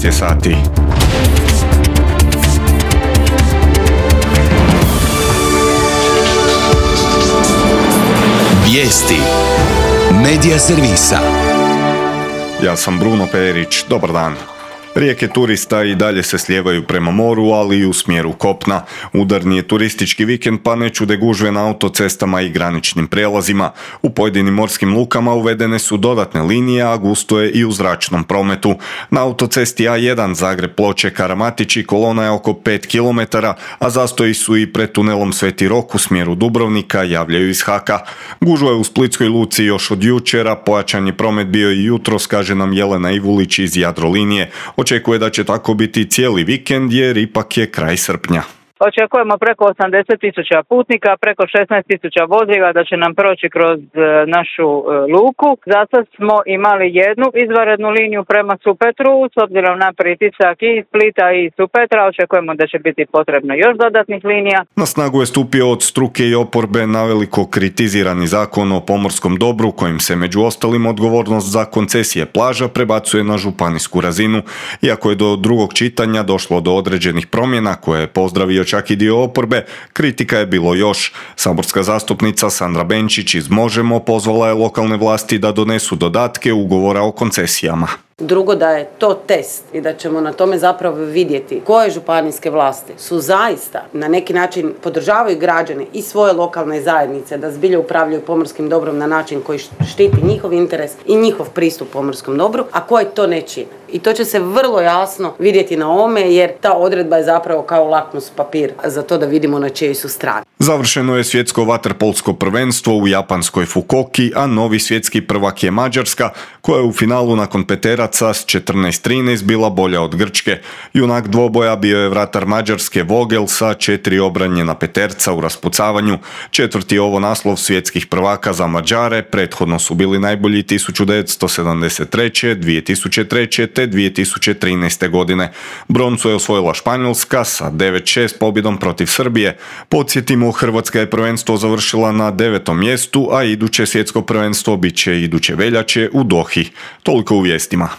13 je sati. Vijesti Medija servisa. Ja sam Bruno Perić, dobar dan. Rijeke turista i dalje se slijevaju prema moru, ali i u smjeru kopna. Udarni je turistički vikend, pa ne čude gužve na autocestama i graničnim prijelazima. U pojedinim morskim lukama uvedene su dodatne linije, a gusto je i u zračnom prometu. Na autocesti A1 Zagreb-Ploče-Karamatići kolona je oko 5 km, a zastoji su i pred tunelom Sveti Rok u smjeru Dubrovnika, javljaju iz HAK-a. Gužva je u Splitskoj luci još od jučera, pojačan je promet bio i jutros, kaže nam Jelena Ivulić iz Jadrolinije. Očekuje da će tako biti cijeli vikend jer ipak je kraj srpnja. Očekujemo preko 80.000 putnika, preko 16.000 vozila da će nam proći kroz našu luku. Zasad smo imali jednu izvanrednu liniju prema Supetru, s obzirom na pritisak i iz Splita i iz Supetra. Očekujemo da će biti potrebno još dodatnih linija. Na snagu je stupio od struke i oporbe naveliko kritizirani zakon o pomorskom dobru, kojim se među ostalim odgovornost za koncesije plaža prebacuje na županijsku razinu. Iako je do drugog čitanja došlo do određenih promjena koje je pozdravio čak i dio oporbe, kritika je bilo još. Saborska zastupnica Sandra Benčić iz Možemo pozvala je lokalne vlasti da donesu dodatke ugovora o koncesijama. Drugo, da je to test i da ćemo na tome zapravo vidjeti koje županijske vlasti su zaista na neki način podržavaju građane i svoje lokalne zajednice da zbilja upravljaju pomorskim dobrom na način koji štiti njihov interes i njihov pristup pomorskom dobru, a koji to ne čine. I to će se vrlo jasno vidjeti na ovome jer ta odredba je zapravo kao lakmus papir za to da vidimo na čijoj su strani. Završeno je svjetsko vaterpolsko prvenstvo u japanskoj Fukuoki, a novi svjetski prvak je Mađarska, koja je u finalu nakon peteraca s 14-13 bila bolja od Grčke. Junak dvoboja bio je vratar Mađarske Vogel sa 4 obranjena peterca u raspucavanju. Četvrti ovo naslov svjetskih prvaka za Mađare, prethodno su bili najbolji 1973., 2003. te 2013. godine. Broncu je osvojila Španjolska sa 9-6 pobjedom protiv Srbije. Podsjetimo, Hrvatska je prvenstvo završila na 9. mjestu, a iduće svjetsko prvenstvo bit će iduće veljače u Dohi. Toliko u vijestima.